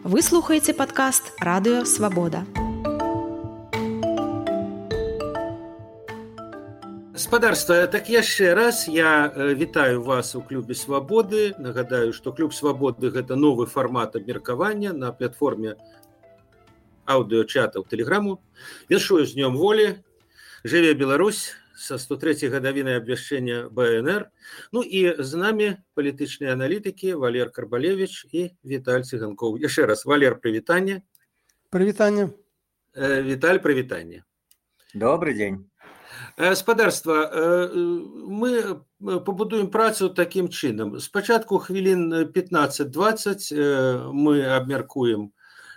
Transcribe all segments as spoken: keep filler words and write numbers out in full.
Вы слухаеце падкаст Радыё Свабода. Спадарства, так яшчэ раз я вітаю вас у клубе Свабоды. Нагадаю, што клуб Свабоды гэта новы фармат абмеркавання на платформе аўдыёчатаў Тэлеграму. Віншую з днём волі. Жыве Беларусь са сто трэцяй гадавінай абвяшчэння бэ эн эр. Ну і з намі палітычныя аналітыкі Валер Карбалевіч і Віталь Цыганкоў. Яшчэ раз, Валер, прывітанне. Прывітанне. Віталь, прывітанне. Добрый дзень. Спадарства, мы пабудуем працу такім чынам. Спачатку хвілін пятнаццаць-дваццаць мы абмяркуем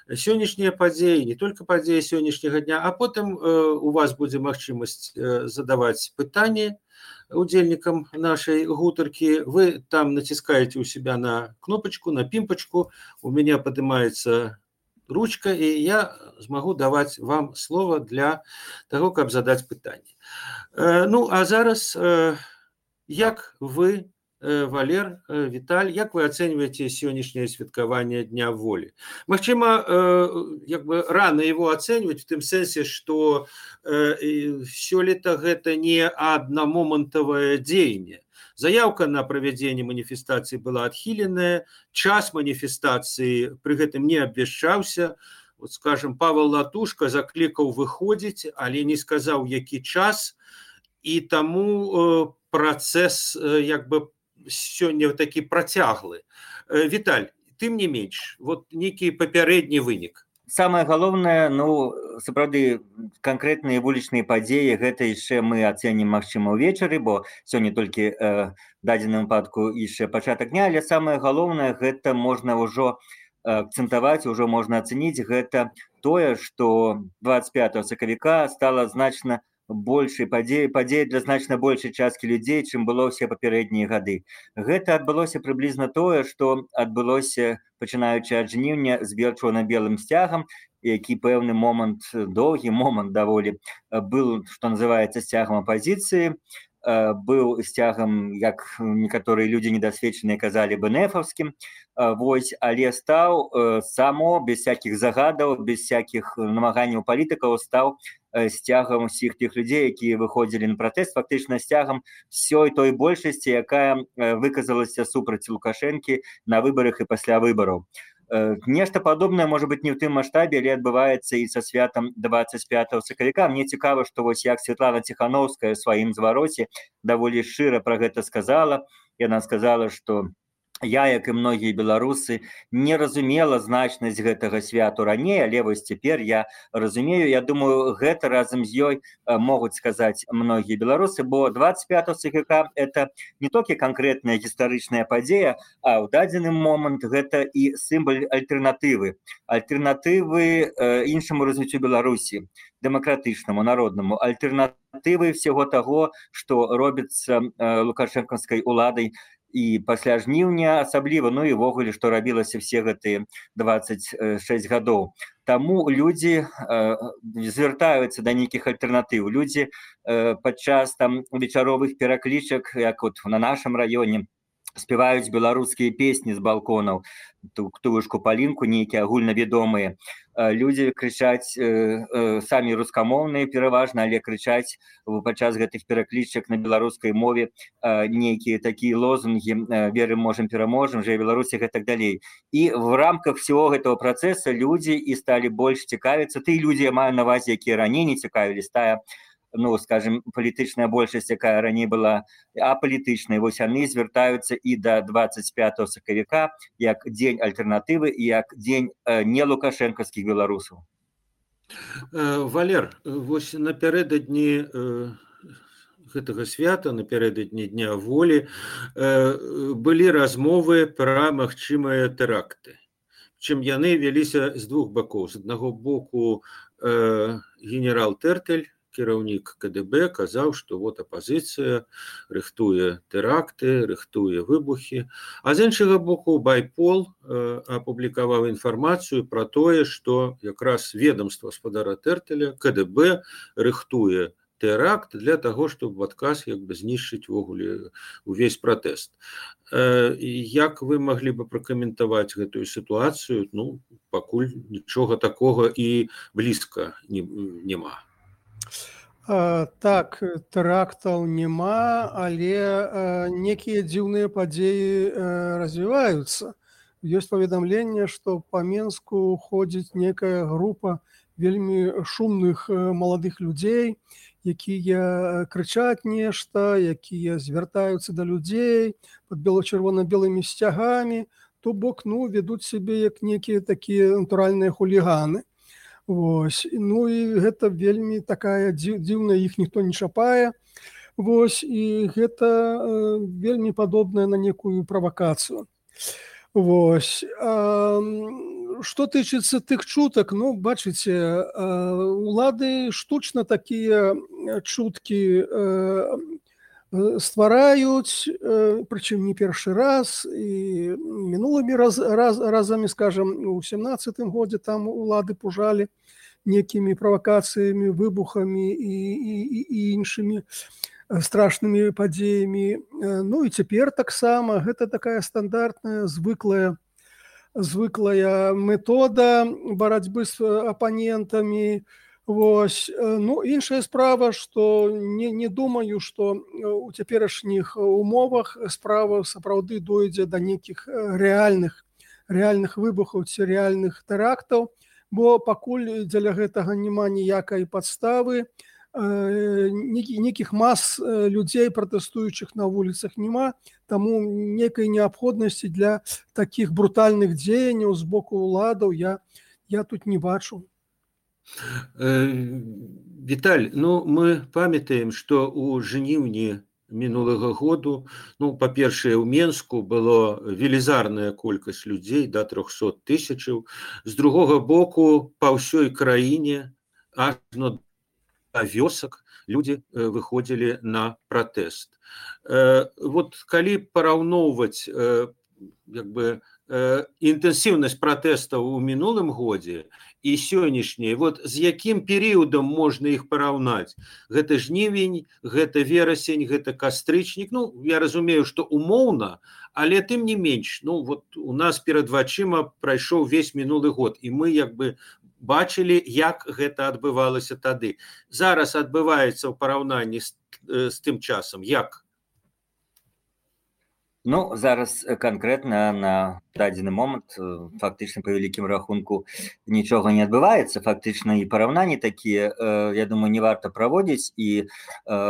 сённяшнія падзеі, не толькі падзеі сённяшняга дня, а потым у вас будзе магчымасць задаваць пытанні удзельнікам нашай гутаркі. Вы там націскаеце ў себя на кнопачку, на пімпачку, у мяне падымаецца ручка, і я змагу даваць вам слова для таго, каб задаць пытанне. Ну, а зараз, як вы, Валер, Віталь, як вы ацэньваеце сённяшняе святкаванне Дня волі? Магчыма, як бы рана его ацэньваць в тым сэнсе, што сёлета гэта не аднамомантавае дзеянне. Заявка на правядзенне маніфестацыі была адхіленая, час маніфестацыі пры гэтым не абвяшчаўся. Вот, скажем, Павел Латушка заклікаў выходзіць, але не сказаў, які час, і таму працэс як бы сёння такі працяглы. Віталь, тым не менш, вот нейкі папярэдні вынік. Самае галоўнае, ну, сапраўды, канкрэтныя вулічныя падзеі, гэта яшчэ мы ацэнім, магчыма, ўвечары, бо сёння толькі э, дадзеным выпадку яшчэ пачатак дня, але самае галоўнае, гэта можна ўжо акцэнтаваць, ўжо можна ацэніць, гэта тое, што дваццаць пятага сакавіка стала значна большай падзеі, падзеі для значна большай часткі людзей, чым было ўсе папярэднія гады. Гэта адбылося прыблізна тое, што адбылося, пачынаючы ад жніўня, з чорна-белым сцягам, які пэўны момант, доўгі момант даволі, быў, што называецца, сцягам апазіцыі, быў сцягам, як некаторыя людзі недасведчаныя казалі, бэнэфаўскім, вось, але стаў само, без всякіх загадаў, без всякіх намаганняў палітыкаў, стаў сцягам усіх тых людзей, якія выходзілі на пратэст, фактычна сцягам ўсёй той большасці, якая выказалася супраць Лукашэнкі на выбарах і пасля выбараў. Нешта падобнае, можа быць, не ў тым маштабе, але адбываецца і са святам дваццаць пятага сакавіка. Мне цікава, што вось як Святлана Ціхановская ў сваім звароце даволі шчыра пра гэта сказала. Яна сказала, што я, як і многія беларусы, не разумела значнасць гэтага святу раней, але вось цяпер я разумею. Я думаю, гэта разам з ёй могуць сказаць многія беларусы, бо дваццаць пятага сакавіка это не толькі канкрэтная гістарычная падзея, а ў дадзены момант гэта і сімвал альтэрнатывы. Альтэрнатывы іншаму развіццю Беларусі, дэмакратычнаму, народнаму, альтэрнатывы всего таго, што робіцца лукашэнкаўскай уладай і пасля жніўня асабліва, ну і ввогуле, што рабілася все гэтыя дваццаць шэсць гадоў. Таму людзі э, звяртаюцца да нейкіх альтэрнатыў. Людзі э, падчас там вечаровых пераклічак, як от на нашым раёне, спяваюць беларускія песні з балконаў, ктушку палінку, нейкія агульнавядомыя. Людзі крычаць, э, э, самі рускамоўныя пераважна, але крычаць падчас гэтых пераклічак на беларускай мове э, нейкія такія лозунгі э, «Верым, можем, пераможем», «Жыве Беларусь» і так далей. І в рамках всего гэтага працэса людзі і сталі больш цікавіцца. Тыя людзі, я маю на ўвазе, якія раней не цікавілись, тая, ну, скажем, палітычная большасць, якая раней была апалітычнай, вось яны звяртаюцца і да дваццаць пятага сакавіка як дзень альтэрнатывы і як дзень э, не лукашэнкаўскіх беларусаў. Валер, вось напярэдадні э, гэтага свята, напярэдадні Дня волі, э, былі размовы пра магчымыя тэракты. Чым яны вяліся з двух бакоў. З аднаго боку э, генерал Тэртэль, кіраўнік ка дэ бэ, казаў, што вот апазіцыя рыхтуе тэракты, рыхтуе выбухі. А з іншага боку Байпол э, апублікаваў інфармацыю пра тое, што якраз ведамства спадара Тэртэля, ка дэ бэ рыхтуе тэракт для таго, чтобы в адказ як бы знішчыць ввогуле увесь пратэст. Як вы маглі бы пракаментаваць гэтую сітуацыю? Ну, пакуль нічога такога і блізка няма. А, так, тэрактаў няма, але а, некія дзіўныя падзеі а, развіваюцца. Ёсць паведамленне, што па Менску ходзіць некая група вельмі шумных маладых людзей, якія крычаць нешта, якія звяртаюцца да людзей пад бело-чырвона-белымі сцягамі, то бок, ну, вядуць сябе як некія такія натуральныя хуліганы. Вось. Ну і гэта вельмі такая дзіўная, іх ніхто не чапае. Вось. І гэта э, вельмі падобнае на некую правакацыю. Вось. А, што тычыцца тых чутак, ну, бачыце, э, улады штучна такія чуткі э, ствараюць, э, прычым не першы раз, і мінулымі раз, раз, разамі, скажам, у сямнаццатым годзе там улады пужалі некімі правакацыямі, выбухамі і, і, і іншымі страшнымі падзеямі. Ну і цяпер таксама гэта такая стандартная, звыклая, звыклая метода барацьбы з апанентамі. Вось. Ну, іншая справа, што не, не думаю, што у цяперашніх умовах справа сапраўды дойдзе да нейкіх рэальных, рэальных выбухаў ці рэальных тэрактаў, бо пакуль дзеля гэтага няма ніякай падставы, нейкіх мас людзей, пратэстуючых на вуліцах, няма, таму нейкай неабходнасці для такіх брутальных дзеянняў з боку ўладаў я, я тут не бачу. Віталь, ну, мы памятаем, што ў жніўні мінулага году, ну, па-першае, у Менску было велізарная колькасць людзей, да трохсот тысячаў. З другога боку, па ўсёй краіне, ажно да вёсак, людзі выходзілі на пратэст. Вот калі параўноўваць як бы інтэнсіўнасць пратэстаў у мінулым годзе і сённяшняй, вот з якім перыядам можна іх параўнаць? Гэта жнівень, гэта верасень, гэта кастрычнік. Ну, я разумею, што умоўна, але тым не менш, ну, вот у нас перад вачыма прайшоў увесь мінулы год, і мы як бы бачылі, як гэта адбывалася тады. Зараз адбываецца ў параўнанні з, з тым часам. Як? Ну, зараз канкрэтна на дадзены момант фактычна па вялікім рахунку нічога не адбываецца. Фактычна і параўнанні такія, я думаю, не варта праводзіць, і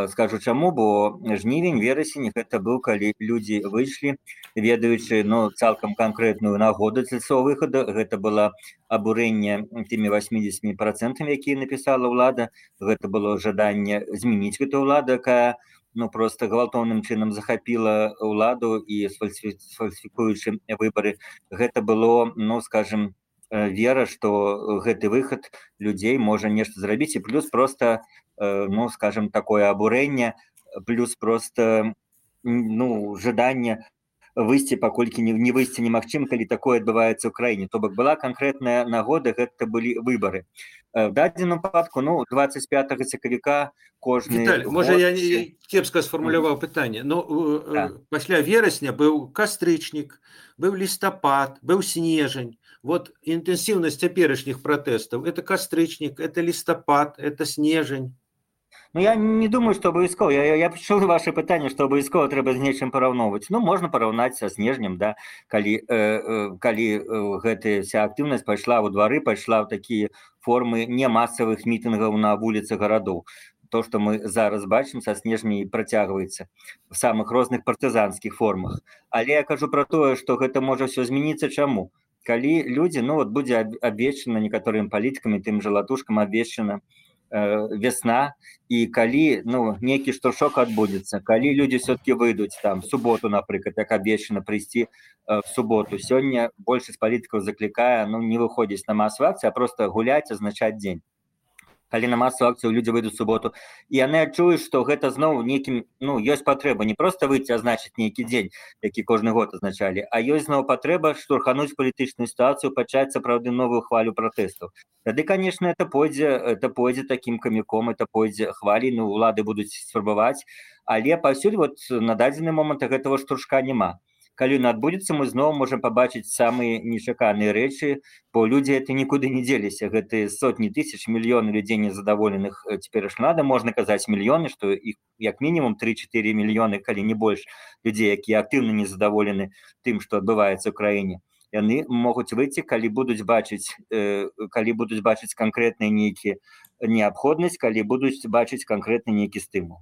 скажу чаму, бо жнівень, верасень гэта быў, калі людзі выйшлі, ведаючы, ну, цалкам канкрэтную нагоду для свайго выхаду. Гэта было абурэнне тымі восьмідзесятымі працэнтамі, якія напісала ўлада. Гэта было жаданне змяніць гэту ўладу, якая, ну, просто гвалтоўным чынам захапіла ўладу і сфальсіфікуючы выбары. Гэта было, ну, скажем, вера, што гэты выхад людзей можа нешта зрабіць, і плюс просто, ну, скажем, такое абурэнне, плюс просто, ну, жаданне выйсці, паколькі не, не выйсці немагчыма, калі такое адбываецца ў краіне. То бок была канкрэтная нагода, гэта былі выбары. В дадзеным выпадку, ну, двадцать пятага сакавіка кожны... Віталь, год... можа, я не кепска сфармуляваў пытанне, но да. Пасля верасня быў кастрычнік, быў лістапад, быў снежань. Вот інтэнсіўнасць цяперашніх пратэстаў, это кастрычнік, это лістапад, это снежань. Ну, я не думаю, што абавязкова. Я, я, я пачуў ваше пытанне, што абавязкова трэба з нечым параўноўваць. Ну, можна параўнаць са снежнем, да, калі, э, э, калі э, гэтая вся актыўнасць пайшла ў двары, пайшла ў такія формы не масавых мітынгаў на вуліцах гарадоў. То, што мы зараз бачым, са снежней працягваецца в самых розных партызанскіх формах. Але я кажу пра тое, што гэта можа ўсё змяніцца. Чаму? Калі людзі, ну, вот будзе абвешчана некаторым палітыкамі, тым жа Латушкам абвешчана весна, і калі, ну, нейкі штуршок адбудзецца, калі людзі все-таки выйдуць там в суботу, напрыклад, як абвешчана прыйсці в суботу. Сёння большасць палітыкаў заклікае, ну, не выходзіць на масавую акцыю, а просто гуляць, азначаць дзень. калі на масу акцыю людзі выйдуць у суботу, і яны адчуюць, што гэта зноў нейкім, ну, ёсць патрэба не проста выйти азначыць нейкі дзень, які кожны год азначалі, а ёсць зноў патрэба штурхануць палітычную сітуацыю, пачаць сапраўды новую хвалю пратэстаў. Тады, конечно, это пойдзе, это пойдзе такім каміком, это пойдзе хвалей, ну, улады будуць спрабаваць, але паўсюль вот на дадзены момант гэтага штуршка няма. Калі ён адбудзецца, мы зноў можам пабачыць самыя нечаканыя рэчы, бо людзі это нікуды не дзеліся. Гэты сотні тысяч, мільёны людзей незадаволеных цяперашняй уладай, можна казаць мільёны, што іх як мінімум тры-чатыры мільёны, калі не больш, людзей, якія актыўна незадаволены тым, што адбываецца ў краіне. Яны могуць выйти, калі будуць бачыць, э, калі будуць бачыць канкрэтныя нейкія неабходнасць, калі будуць бачыць канкрэтны нейкі стымул.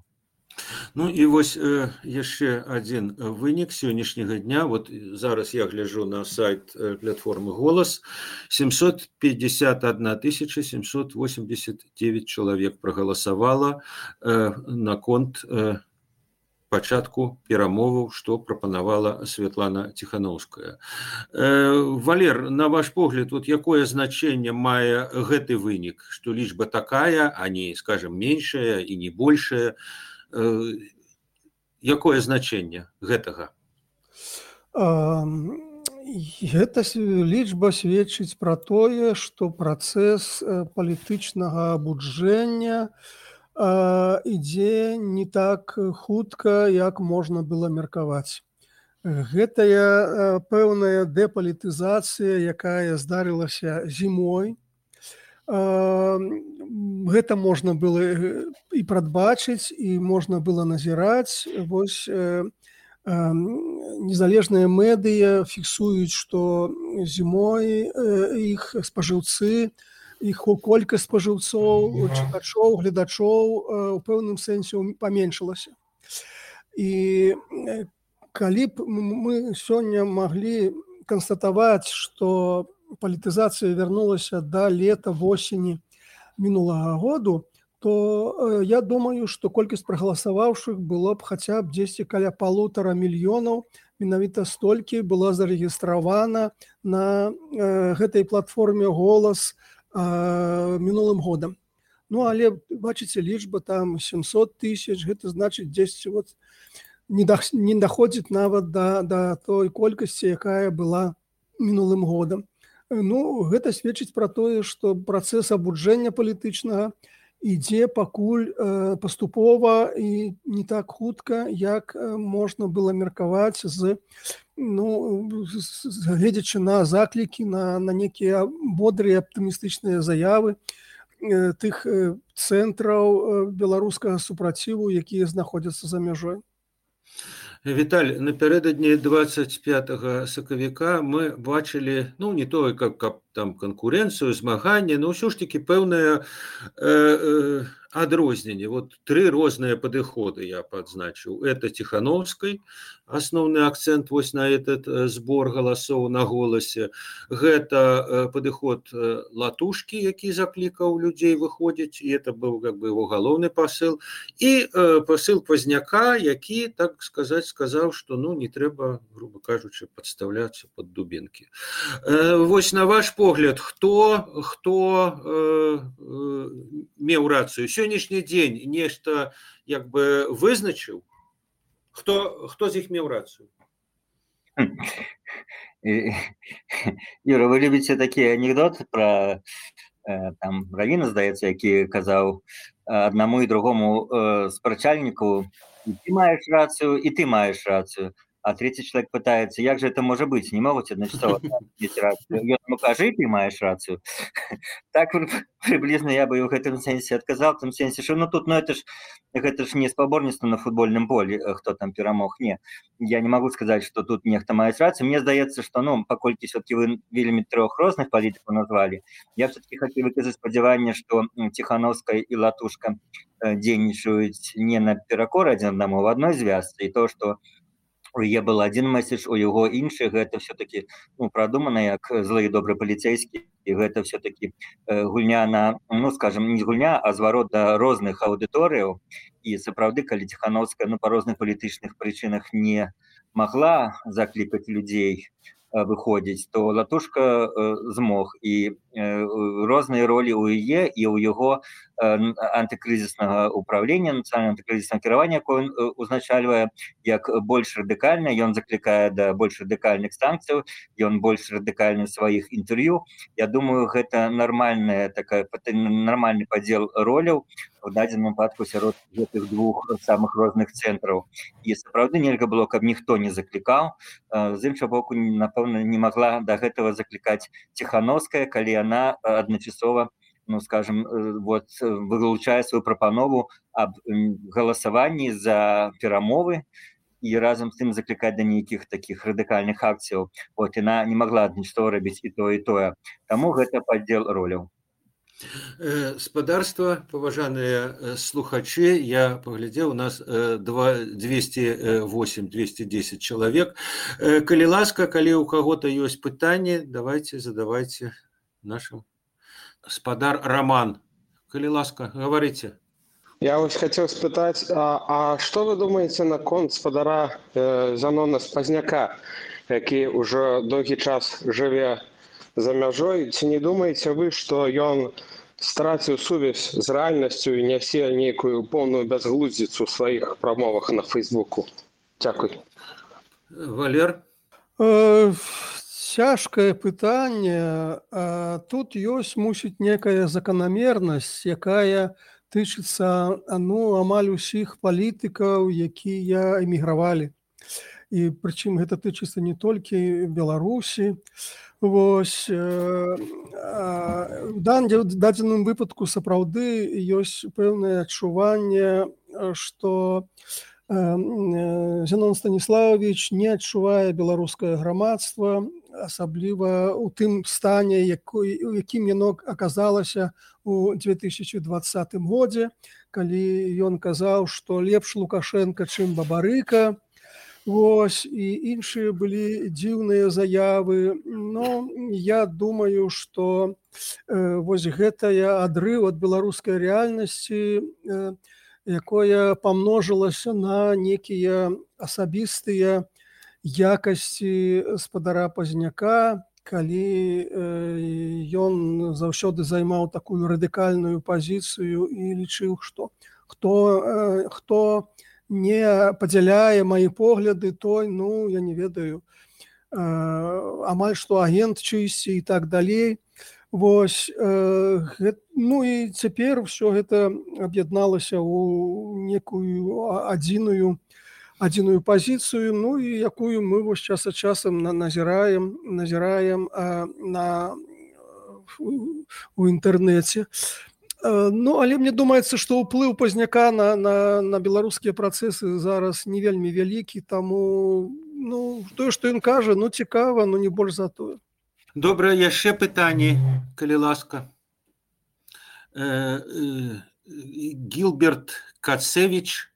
Ну і вось э, яшчэ адзін вынік сённяшняга дня. Вот зараз я гляджу на сайт э, платформы «Голас». семьсот пятьдесят одна тысяча семьсот восемьдесят девять чалавек прагаласавала э, наконт э, пачатку перамоваў, што прапанавала Святлана Ціханаўская. Э, Валер, на ваш погляд, вот якое значэнне мае гэты вынік, што лічба такая, а не, скажем, меншая і не большая? Якое значэнне гэтага? Гэта лічба сведчыць пра тое, што працэс палітычнага абуджэння ідзе не так хутка, як можна было меркаваць. Гэтая пэўная дэпалітызацыя, якая здарылася зімой, гэта можна было і прадбачыць, і можна было назіраць. Вось э, э, незалежныя медыя фіксуюць, што зімой э, іх спажыўцы, іх колькасць спажыўцоў, чытачоў, гледачоў э, у пэўным сэнсе паменшылася. І калі б мы сёння маглі канстатаваць, што палітызацыя вярнулася да лета, восені мінулага году, то я думаю, што колькасць прагаласаваўшых было б хаця б дзесьці каля палутара мільёнаў. Менавіта столькі была зарэгістравана на э, гэтай платформе «Голас» э, мінулым годам. Ну, але, бачыце, лічба там семьсот тысяч, гэта значыць дзесьці вот не, да, не даходзіць нават да, да той колькасці, якая была мінулым годам. Ну, гэта сведчыць пра тое, што працэс абуджэння палітычнага ідзе пакуль э, паступова і не так хутка, як можна было меркаваць з, ну, гледзячы на заклікі, на, на некія бодрыя аптымістычныя заявы э, тых э, цэнтраў э, беларускага супраціву, якія знаходзяцца за мяжой. Віталь, напярэдадні двадцать пятага сакавіка мы бачылі, ну, не тое, как, как там канкурэнцыю, змаганне, но ўсё ж таки пэўнае э, э, адрозненне. Вот тры розныя падыходы я падзначыў. Это Ціханаўскай, асноўны акцент вось на этот збор галасоў на «Голасе». Гэта э, падыход э, Латушкі, які заклікаў людзей выходзіць, і это быў как бы его галоўны пасыл. І э, пасыл Пазняка, які, так сказаць, сказаў, што ну не трэба, грубо кажучы, падставляцца пад дубінкі. Э, вось на ваш погляд, хто, хто э, э, меў рацыю? Сённяшні дзень нешта як бы вызначыў? Хто, хто з іх меў рацыю? Юра, вы любіце такі анекдот пра там Равіна, здаецца, які казаў аднаму і другому спрачальніку: ты маеш рацыю, і ты маеш рацыю. А третий человек пытается: як же это может быть? Не могут одночасово иметь рацию. Я ему кажу, ты маешь рацию. Так приблизно я бы в этом сенсе отказал, в том сенсе, что ну тут, ну это ж, это ж не спаборніцтва на футбольном поле, кто там перамог. Не, я не могу сказать, что тут нехто мае рацию. Мне здаецца, что, ну, паколькі все-таки вы вельмі трох розных палітыкаў назвали, я все-таки хотел выказаць спадзяванне, что Ціханаўская и Латушка дзейнічаюць не на перакор адзін аднаму, в одной звязцы, и то, что у яе был один месседж, у яго іншы, гэта все-таки ну, прадумана як злы і добры паліцейскі, і гэта все-таки э, гульня на, ну, скажем, не гульня, а зварот да розных аўдыторыяў. І сапраўды, калі Ціханаўская ну, па розных палітычных прычынах не магла заклікаць людзей выходзіць, то Латушка змог, і розныя ролі ў яе і ў яго антыкрызіснага управлення, нацыянальнага антыкрызіснага кіравання, якое ён узначальвае, як больш радыкальна, ён заклікае да больш радыкальных санкцыяў, ён больш радыкальны ў сваіх інтэрв'ю. Я думаю, гэта нармальная такая нармальны падзел роляў у дадзеным выпадку сярод гэтых двух самых розных цэнтраў. І сапраўды нельга было, каб ніхто не заклікаў. З іншага боку, напэўна, не магла да гэтага заклікаць Ціхановская, калі яна адначасова, ну, скажем, вот, вылучае сваю прапанову аб галасаванні за перамовы і разам з тым заклікаць да нейкіх такіх радыкальных акцыяў. Вот, яна не магла адначасова рабіць і тое, і тое. Таму гэта падзел роляў. Спадарства, паважаныя слухачы, я паглядзеў, у нас двести восемь двести десять чалавек. Калі ласка, калі ў каго-то ёсць пытанні, давайте, задавайте нашим. Спадар Роман, калі ласка, говорите. Я вось хотел спытаць, а, а што вы думаеце наконт спадара э, Занона Спазняка, які ўжо доўгі час жыве за мяжой? Ці не думаеце вы, што ён страціў сувязь з рэальнасцю і нясе нейкую поўную бязглуздзіцу ў сваіх прамовах на Фейсбуку? Дзякуй. Валер? Э, цяжкае пытанне. А тут ёсць, мусіць, некая заканамернасць, якая тычыцца, ну, амаль усіх палітыкаў, якія эмігравалі. І прычым гэта тычыцца не толькі Беларусі. Вось, э, у дадзеным выпадку сапраўды ёсць пэўнае адчуванне, што Зянон Станіславович не адчувае беларускае грамадства, асабліва ў тым стане, у якім яно аказалася у две тысячи двадцатым годзе, калі ён казаў, што лепш Лукашенко, чым Бабарыка. Вось, і іншыя былі дзіўныя заявы. Но я думаю, што э, вось гэтая адрыў ад беларускай рэальнасці, э, якое памножылася на некія асабістыя якасці спадара Пазняка, калі э, ён заўсёды займаў такую радыкальную пазіцыю і лічыў, што хто, э, хто не падзяляе маі погляды, той, ну, я не ведаю, э, амаль што агент чыйсьці і так далей. Вось, э, гэт, ну і цяпер ўсё гэта аб'ядналася ў некую адзіную, адзіную пазіцыю, ну і якую мы вось час ад часам назіраем, назіраем э, на, у інтэрнэце. Ну, але мне думаецца, што ўплыў Пазняка на, на, на беларускія працэсы зараз не вельмі вялікі, таму, ну, тое, што ён кажа, ну, цікава, но не больш за тое. Добра, яшчэ пытанні, калі ласка. Э, э, Гілберт Кацевич,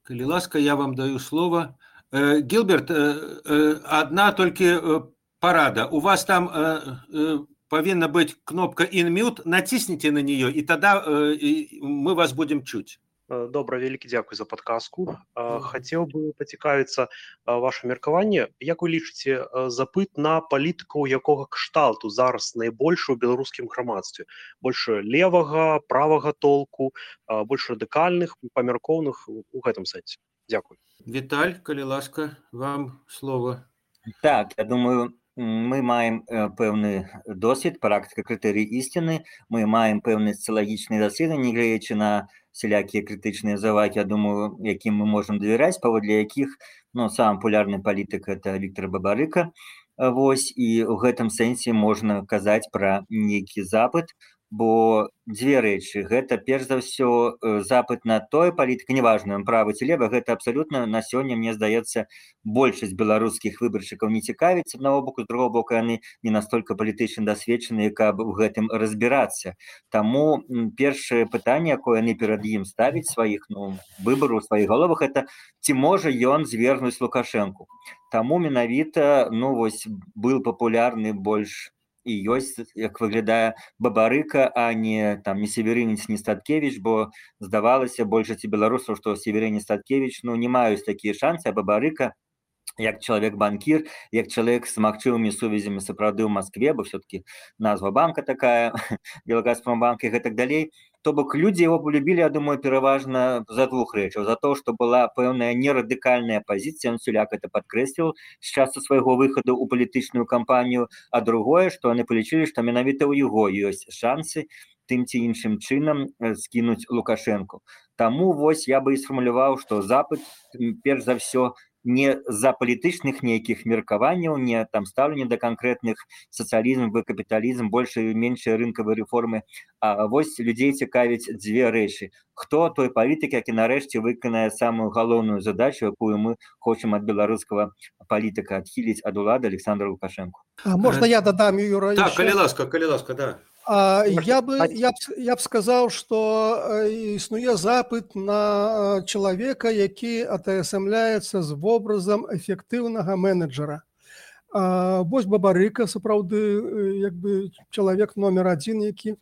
калі ласка, я вам даю слово. Э, Гілберт, э, э, одна толькі э, парада. У вас там... Э, э, повинна быть кнопка «Unmute», натисните на нее, и тогда э, и мы вас будем чуть. Добра, вялікі дзякуй за падказку. Хацеў бы пацікавіцца ваше меркаванне. Як вы лічыце, запыт на палітыкаў якога кшталту зараз найбольш у беларускім грамадстве? Больш левага, правага толку, больш радыкальных, памяркоўных у гэтым сэнсе? Дзякуй. Віталь, калі ласка, вам слово. Так, я думаю, мы маем пэўны досвед, практыка крытэрый ісціны, мы маем пэўныя сацыялагічныя даследаванні, гледзячы на сялякія крытычныя завагі, я думаю, якім мы можам давяраць, паводле якіх, ну, самы папулярны палітык это Віктор Бабарыка. Вось, і ў гэтым сэнсе можна казаць пра нейкі запыт, бо дзве рэчы. Гэта, перш за ўсё, запыт на тое палітыка, неважна, правы ці лева, гэта абсалютна на сёння, мне здаецца, большасць беларускіх выбаршчыкаў не цікавіць, з аднаго боку, з другого боку, яны не настолькі палітычна дасведчаныя, каб у гэтым разбірацца. Таму першае пытанне, якое яны перад ім ставяць сваіх, ну, выбараў у сваіх галовах, это ці можа ён звергнуць Лукашэнку. Таму менавіта, ну, вось, быў папулярны больш і ёсць, як выглядае, Бабарыка, а не там не Северынец, не Статкевич, бо здавалася большасці беларусаў, што Северынец, Статкевич, ну, не маюць такія шансы, а Бабарыка як чалавек-банкір, як чалавек з магчымымі сувязямі сапраўды ў Маскве, бо все-таки назва банка такая, Белгазпромбанк і гэтак далей. То бок людзі яго полюбілі, я думаю, пераважна за двух рэчаў. За то, што была пэўная нерадыкальная пазіцыя, он Суляк это падкрэсліў з часу свайго выхаду ў палітычную кампанію, а другое, што яны палічылі, што менавіта ў яго ёсць шансы тым ці іншым чынам скінуць Лукашэнку. Таму вось я бы і сфармуляваў, што запыт перш за ўсё не за палітычных нейкіх меркаванняў, не там стаўленне да канкрэтных сацыялізм, капіталізм, большыя і меншыя рынкавыя рэформы, а вось людзей цікавіць дзве рэчы. Хто той палітык, які нарэшце выканае самую галоўную задачу, якую мы хочам ад беларускага палітыка адхіліць ад улады Александра Лукашэнку. А можна я дадам, Юра? Так, калі ласка, калі ласка, да. А, я бы я б, я б сказаў, што існуе запыт на чалавека, які атаясамляецца з вобразам эфектыўнага менеджера. А, вось Бабарыка, сапраўды, як бы чалавек номер адзін, які,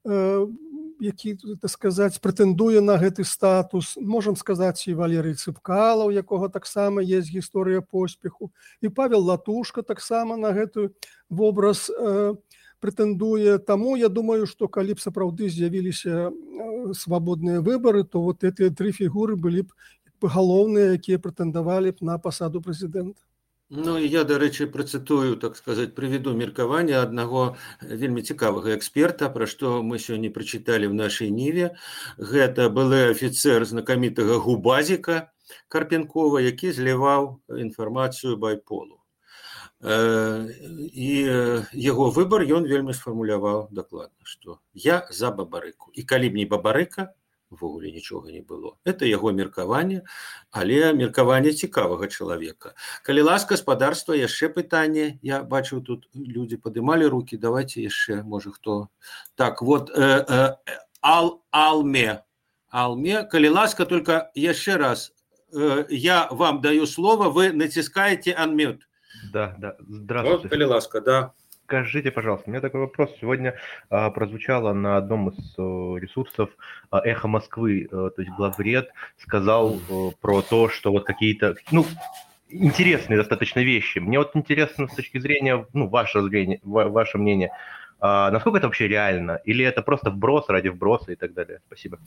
які, так сказаць, прэтэндуе на гэты статус. Можам сказаць і Валерый Цыпкала, у якога таксама есть гісторыя поспеху, і Павел Латушка таксама на гэты вобраз прэтэндуе. Таму я думаю, што калі б сапраўды з'явіліся свабодныя выбары, то вот гэтыя тры фігуры былі б галоўныя, якія прэтэндавалі б на пасаду прэзідэнта. Ну, і я, дарэчы, працытую, так сказаць, прыведу меркаванне аднаго вельмі цікавага эксперта, пра што мы сёння прачыталі ў нашай ніве. Гэта былы афіцэр знакамітага Губазіка Карпенкова, які зліваў інфармацыю байполу. І яго выбар ён вельмі сфармуляваў дакладна, што я за Бабарыку. І калі б не Бабарыка, увогуле нічога не было. Это яго меркаванне, але меркаванне цікавага чалавека. Калі ласка, спадарства, яшчэ пытанне. Я бачу, тут людзі падымалі рукі. Давайте яшчэ, можа, хто... Так, вот, э, э, Ал, Алме. Алме, калі ласка, только яшчэ раз. Э, я вам даю слово, вы натискаете unmute. Да, да, здравствуйте. Вот, коли ласка, да. Скажите, пожалуйста, у меня такой вопрос. Сегодня а, прозвучало на одном из а, ресурсов а, «Эхо Москвы», а, то есть главред сказал а, про то, что вот какие-то, ну, интересные достаточно вещи. Мне вот интересно с точки зрения, ну, ваше зрение, ваше мнение, а насколько это вообще реально? Или это просто вброс ради вброса и так далее? Спасибо.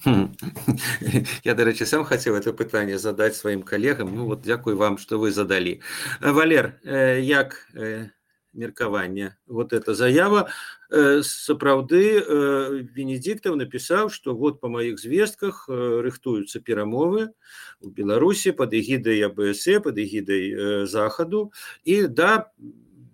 Я, до речі, сам хотів це питання задати своїм колегам. Ну, от дякую вам, що ви задали. Валер, як меркаванне? Вот эта заява. Сапраўды, Венедиктов написал, что вот по моих звестках рыхтуются перамовы в Беларуси под эгидой А Бэ Эс Э, под эгидой Захаду. И да,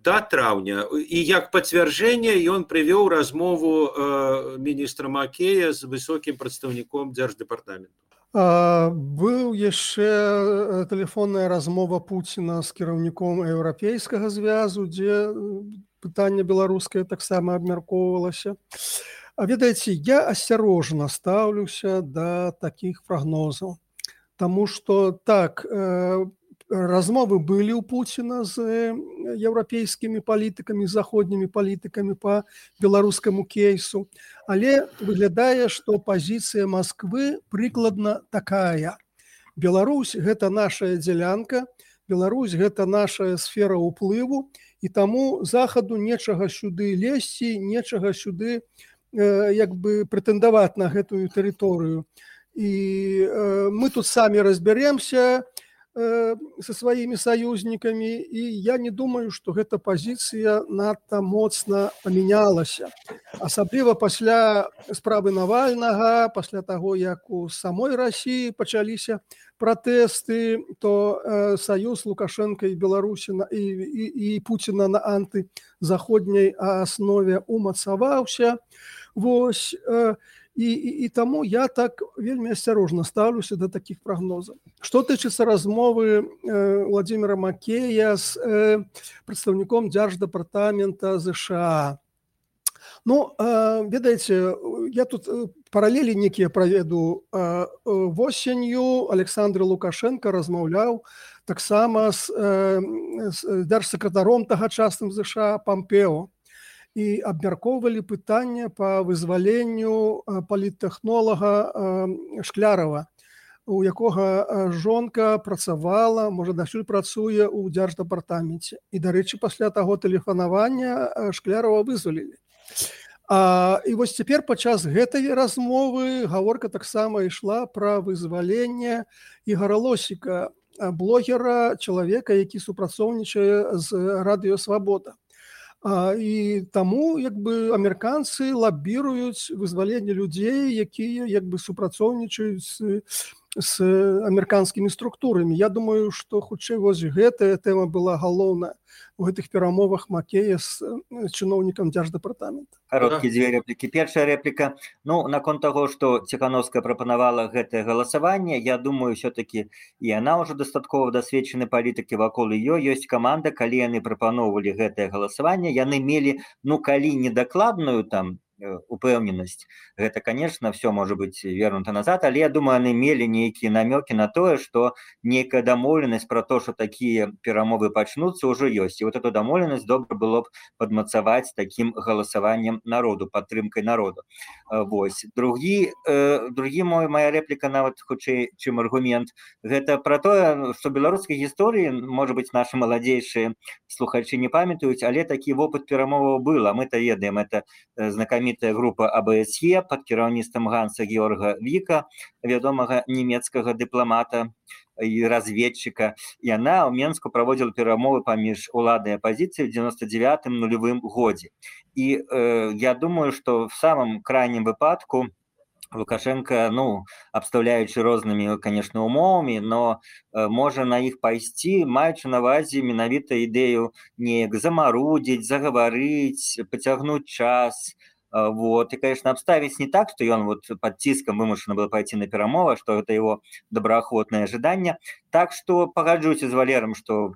до траўня. І як пацвярджэнне ён прывёў размову э, міністра Макея з высокім прадстаўніком Дзярждэпартаменту. А, быў яшчэ тэлефонная размова Пуціна з кіраўніком Еўрапейскага звязу, дзе пытанне беларускае таксама абмяркоўвалася. А ведаеце, я асцярожна стаўлюся да такіх прагнозаў, таму што так, э, размовы былі ў Пуціна з еўрапейскімі палітыкамі, заходнімі палітыкамі па беларускаму кейсу, але выглядае, што пазіцыя Масквы прыкладна такая. Беларусь – гэта наша дзялянка, Беларусь – гэта наша сфера ўплыву, і таму Захаду нечага сюды лезці, нечага сюды э, як бы прэтэндаваць на гэтую тэрыторыю. І э, мы тут самі разбяремся со сваімі саюзнікамі, і я не думаю, што гэта пазіцыя надта моцна памянялася. Асабліва пасля справы Навальнага, пасля таго, як у самой Расіі пачаліся пратэсты, то э, саюз Лукашэнка і Беларусі і, і, і Пуціна на антызаходняй аснове умацаваўся. Вось, э, І, і, і таму я так вельмі асцярожна стаўлюся да такіх прагнозаў. Што тычыцца размовы э, Владимира Макея з э, прадстаўніком Дзярждэпартамента ЗША. Ну, э, ведаеце, я тут паралелі некія праведу. Э, восенню Александр Лукашенко размаўляў таксама з, э, з дзяржсакратаром тагачасным ЗША Пампео. І абмяркоўвалі пытанне па вызваленню паліттэхнолага Шклярова. у якога жонка працавала, можа, дасюль працуе ў дзярждэпартаменце. І, дарэчы, пасля таго тэлефанавання Шклярова вызвалілі. А, і вось цяпер падчас гэтай размовы гаворка таксама ішла пра вызваленне Ігора Лосіка, блогера, чалавека, які супрацоўнічае з радыё «Свабода». А, і таму як бы амерыканцы лабіруюць вызваленне людзей, якія як бы супрацоўнічаюць з, з амерыканскімі структурамі. Я думаю, што хутчэй вось гэтая тэма была галоўная у гэтых перамовах Макея з чыноўнікам дзярждэпартамента. Кароткія дзве рэплікі. Першая рэпліка. Ну, наконт таго, што Ціхановская прапанавала гэтае галасаванне, я думаю, ўсё-такі і яна ўжо дастаткова дасведчаны палітыкі, вакол ёй ёсць каманда, калі яны прапаноўвалі гэтае галасаванне, яны мелі, ну, калі недакладную там упэўненасць, гэта, конечно, все можа быць вернута назад, але я думаю, яны мелі нейкія намёкі на тое, што нейкая дамоўленасць пра то, што такія перамовы пачнуцца, ўжо ёсць. І вот эту дамоўленасць добра было б падмацаваць такім галасаваннем народу, падтрымкай народу. Вось. Другі, э, другі мой, моя рэпліка нават хутчэй, чым аргумент, гэта пра тое, што беларускай гісторыі, можа быць, нашы маладзейшыя слухачы не памятаюць, але такі вопыт перамоваў быў, а мы-то ведаем, это знакамітая група А Б С Е пад кіраўніцтвам Ганса Георга Віка, вядомага нямецкага дыпламата і разведчыка. Яна ў Менску праводзіла перамовы паміж уладай і апазіцыяй у дзевяносто девятым нулевым годзе. І э, я думаю, што в самым крайнім выпадку Лукашенко, ну, абстаўляючы рознымі, конечно, умовамі, но э, можа на іх пайсці, маючы на ўвазе менавіта ідэю неяк замарудзіць, загаварыць, пацягнуць час. Вот. И, конечно, обставить не так, что он вот под тиском вымушен был пойти на перамовы, что это его доброохотное ожидание. Так что погоджусь с Валером, что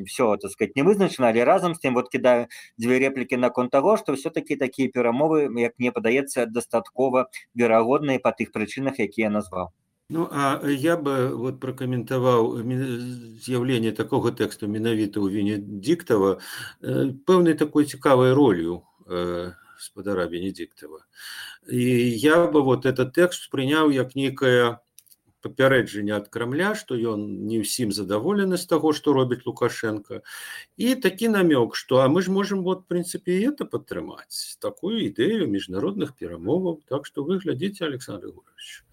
все, так сказать, не вызначено, але разом с тем вот кидаю две реплики на конт того, что все-таки такие перамовы, как мне подается, достатково верагодные по тых причинах, які я назвал. Ну, а я бы вот прокоментовал з'явление такого текста менавіта у Венедиктова пэўнай такой цікавой ролью господара Венедиктова. И я бы вот этот текст принял як некое папярэджанне ад Крамля, што ён не ўсім задаволены з таго, што робіць Лукашенко. І такі намёк, што а мы ж можем вот, в принципе, и это падтрымаць, такую ідэю міжнародных перамоваў. Так что вы глядите, Александр Егорович,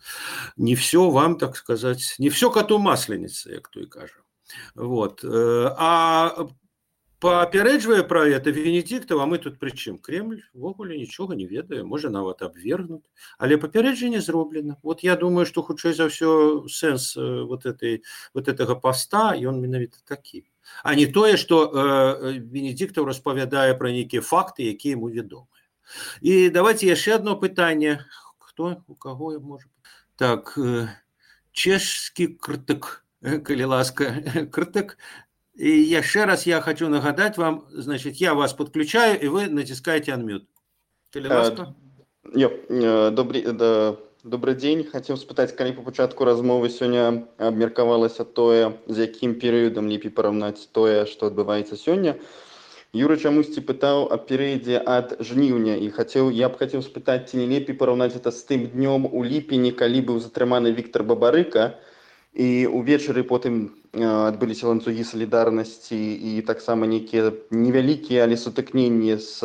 не все вам, так сказать, не все коту масленица, як той кажа. Вот. А папярэджвае пра это Венедиктов, а мы тут пры чым? Кремль ввогуле нічога не ведае, можа нават абвергнуць, але папярэджанне зроблена. Вот я думаю, што хутчэй за ўсё сэнс вот этой вот этого поста, ён менавіта такі, а не тое, што э, Венедиктов распавядае пра нейкія факты, якія яму вядомыя. І давайте яшчэ одно пытанне. Хто у каго можа? Так, э, чешскі крытык, калі ласка, крытык. И еще раз я хочу нагадать вам, значит, я вас подключаю, и вы натискаете unmute. Добрый, добрый день. Хотел спытаць, калі по пачатку размовы сёння абмеркавалася тое, з якім перыядам лепей параўнаць тое, што адбываецца сёння. Юра чамусьці пытаў о перыядзе ад жніўня, і хацеў, я б хацеў спытаць, ці не лепей параўнаць это з тым днём у ліпені, калі быў затрыманы Віктор Бабарыка, і увечары потым адбыліся ланцугі салідарнасці і таксама нейкія невялікія, але сутыкненні з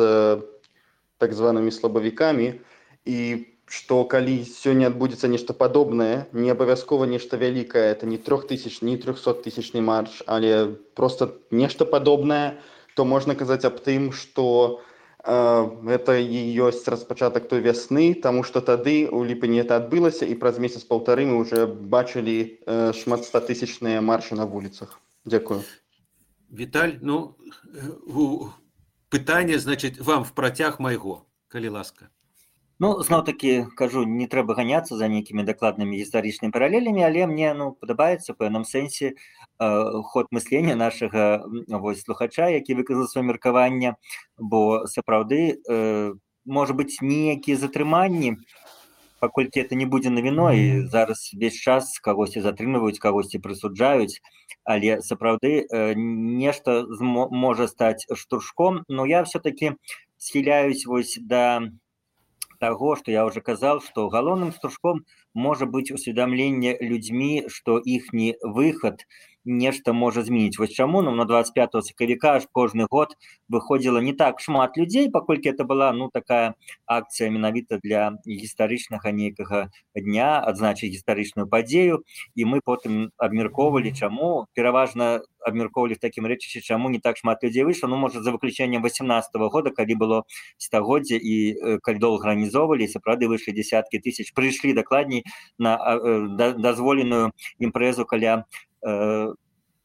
так званымі слабавікамі, і што калі сёння адбудзецца нешта падобнае, не абавязкова нешта вялікае, это не трохтысяч, не трохсоттысячны марш, але проста нешта падобнае, то можна казаць аб тым, што это і ёсць распачатак той вясны, таму што тады у ліпені это адбылася, і праз месяц-паўтары мы ўжо бачылі шматстатысячныя маршы на вуліцах. Дзякую. Віталь, ну, пытанне, значит, вам в працяг майго, калі ласка. Ну, зноў-такі, кажу, не трэба ганяцца за нейкімі дакладнымі гістарычнымі паралелямі, але мне, ну, падабаецца, у пэўным сэнсе, э, ход мыслення нашага вось, слухача, які выказаў сваё меркаванне, бо сапраўды, э, можа быць, нейкія затрыманні, паколькі это не будзе навіной, зараз весь час кагосьці затрымліваюць, кагосьці прысуджаюць, але сапраўды э, нешта можа стаць штуршком, но я все-таки схіляюсь вось да того, что я уже казал, что галоўным штуршком может быть усведомление людьми, что ихний выход нешта можа змяніць. Вось чаму ну, на двадцать пятого сакавіка аж кожны год выходзіла не так шмат людзей, паколькі это была ну такая акцыя менавіта для гістарычнага нейкага дня, адзначыць гістарычную падзею, і мы потым абмяркоўвалі, чаму пераважна абмяркоўвалі в такім рэчышчы, чаму не так шмат людзей выйшла, ну можа за выключэннем восемнадцатого года, калі было стагоддзе і калі доўга арганізоўвалі, сапраўды выйшлі десяткі тысяч, прыйшлі дакладней на дазволеную імпрэзу каля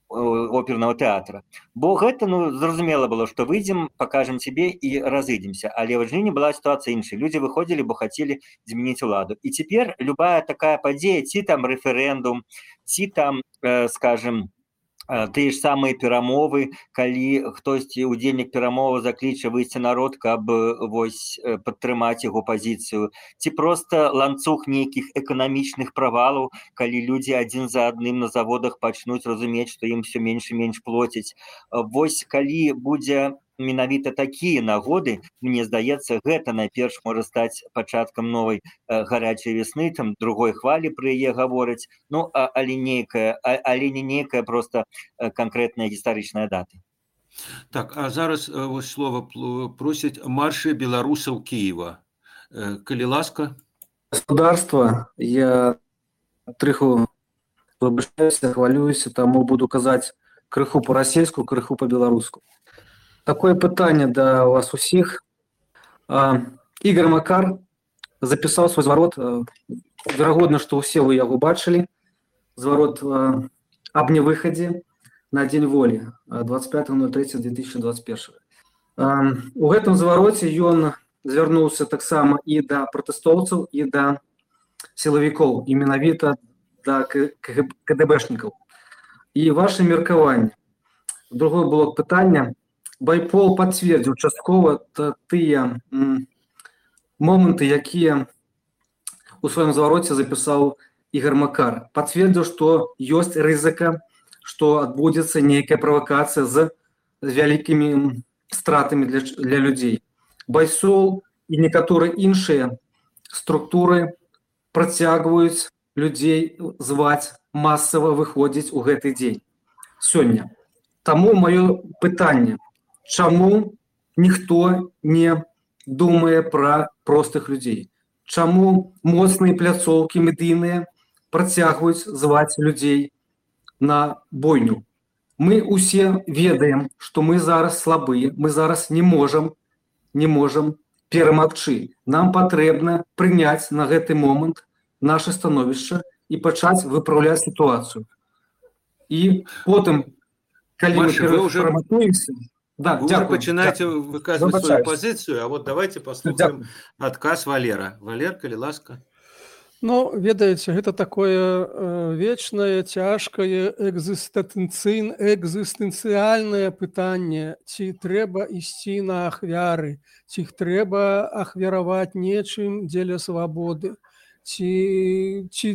оперного тэатра. Бо гэта, ну, зразумела было, што выйдзем, пакажам цябе і разыдземся. Але ў жніўні была сітуацыя іншая. Людзі выходзілі, бо хацелі змяніць уладу. І цяпер любая такая падзея, ці там рэферэндум, ці там, э, скажем, тыя ж самыя перамовы, калі хтосьці удзельнік перамовы закліча выйсці народ, каб вось падтрымаць яго пазіцыю, ці проста ланцуг нейкіх эканамічных правалаў, калі людзі адзін за адным на заводах пачнуць разумець, што ім все менш і менш плоцяць. Вось калі будзе менавіта такія нагоды, мне здаецца, гэта найперш можа стаць пачаткам новай э, гарячай весны, там другой хвалі пры яе гавораць, ну, а, але, нейкая, а, але не нейкая проста э, канкрэтная гістарычная дата. Так, а зараз э, вось слова просяць маршы беларусаў Киева. Э, калі ласка. Государство, я трыху выбачаюся, хвалююся, таму буду казаць крыху по-расельску, крыху по-беларуску. Такое пытанне да вас усіх. Ігор Макар запісаў свой зварот, верагодна, што ўсе вы яго бачылі, зварот аб невыхадзе на дзень волі двадцать пятого ноль третьего две тысячи двадцать первого. У гэтым звароце ён звярнуўся таксама і да пратэстоўцаў, і да сілавікоў, і менавіта да КДБшнікаў. І ваше меркаванне. Другой блок пытання. Байпол пацвердзіў часткова тыя моманты, якія у сваім звароце запісаў Ігор Макар. Пацвердзіў, што ёсць рызыка, што адбудзецца нейкая правакацыя з вялікімі стратамі для, для людзей. Байсол і некаторыя іншыя структуры працягваюць людзей зваць масава выходзіць у гэты дзень. Сёння. Таму маё пытанне. Чаму ніхто не думае пра простых людзей? Чаму моцныя пляцоўкі медыйныя працягваюць зваць людзей на бойню? Мы усе ведаем, што мы зараз слабыя, мы зараз не можам, не можам перамагчы. Нам патрэбна прыняць на гэты момант наше становішча і пачаць выпраўляць сітуацыю. І потым, калі Маша, мы перамагнемся, да, вы дякую, начинаете дякую. выказывать Выбачаюсь. свою позицию, а вот давайте послушаем Дякую. отказ Валера. Валер, калі ласка. Ну, ведаеце, гэта такое э, вечнае, цяжкае, экзістэнцыйн, экзістэнцыяльнае пытанне, ці трэба ісці на ахвяры, ці іх трэба ахвяраваць нечым дзеля свабоды, ці, ці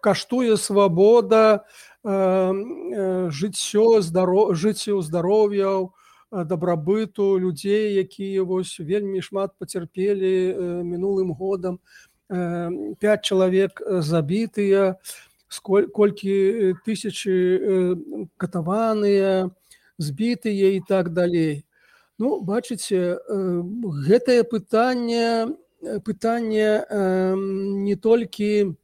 каштуе свабода э, э, жыццё, здаро, жыццё здароўяў, дабрабыту людзей, якія вось вельмі шмат пацярпелі э, мінулым годам. Пять чалавек забітыя, колькі тысячы катаваныя, збітыя і так далей. Ну, бачыце, гэтае пытанне, пытанне не толькі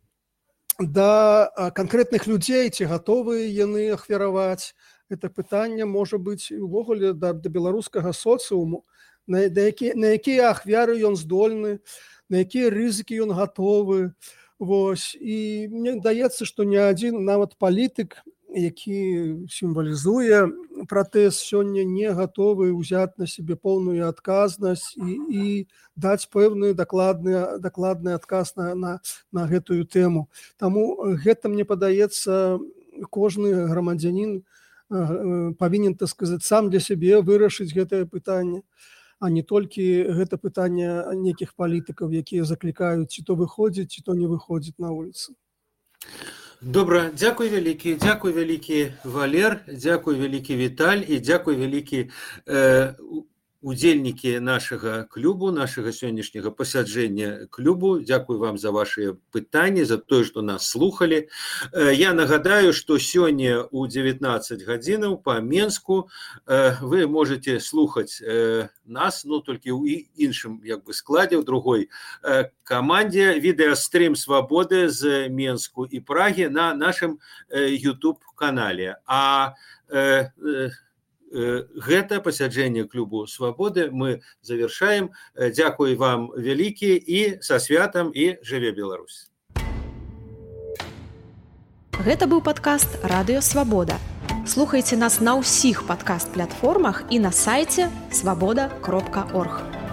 да канкрэтных людзей, ці гатовыя яны ахвяраваць. Гэта пытанне можа быць увогуле да, да беларускага соцыуму, на, на, які, на якія ахвяры ён здольны, на якія рызыкі ён гатовы. Вось. І мне здаецца, што ні адзін нават палітык, які сімвалізуе пратэст, сёння не гатовы ўзяць на сябе поўную адказнасць і, і даць пэўны дакладны, дакладны адказ на, на, на гэтую тэму. Таму гэта, мне падаецца, кожны грамадзянін павінен, так сказаць, сам для сябе вырашыць гэтае пытанне, а не толькі гэта пытанне нейкіх палітыкаў, якія заклікаюць ці то выходзіць, ці то не выходзіць на вуліцу. Добра, дзякуй вялікі, дзякуй вялікі Валер, дзякуй вялікі Віталь і дзякуй вялікі э, удзельнікі нашага клубу, нашага сённяшняга пасяджэння клубу. Дзякуй вам за ваши пытанні, за тое, што нас слухалі. Я нагадаю, што сёння ў дзевятнаццаць гадзінаў па Менску вы можете слухаць нас, ну, толькі ў іншым як бы складзе, ў другой камандзе, відэастрым «Свабоды» з Менску і Прагі на нашым YouTube-канале. А гэта пасяджэнне клубу «Свабоды» мы завершаем. Дзякуй вам вялікі і са святам, і жыве Беларусь. Гэта быў падкаст «Радыё Свабода». Слухайце нас на ўсіх падкаст-платформах і на сайце свабода кропка орг.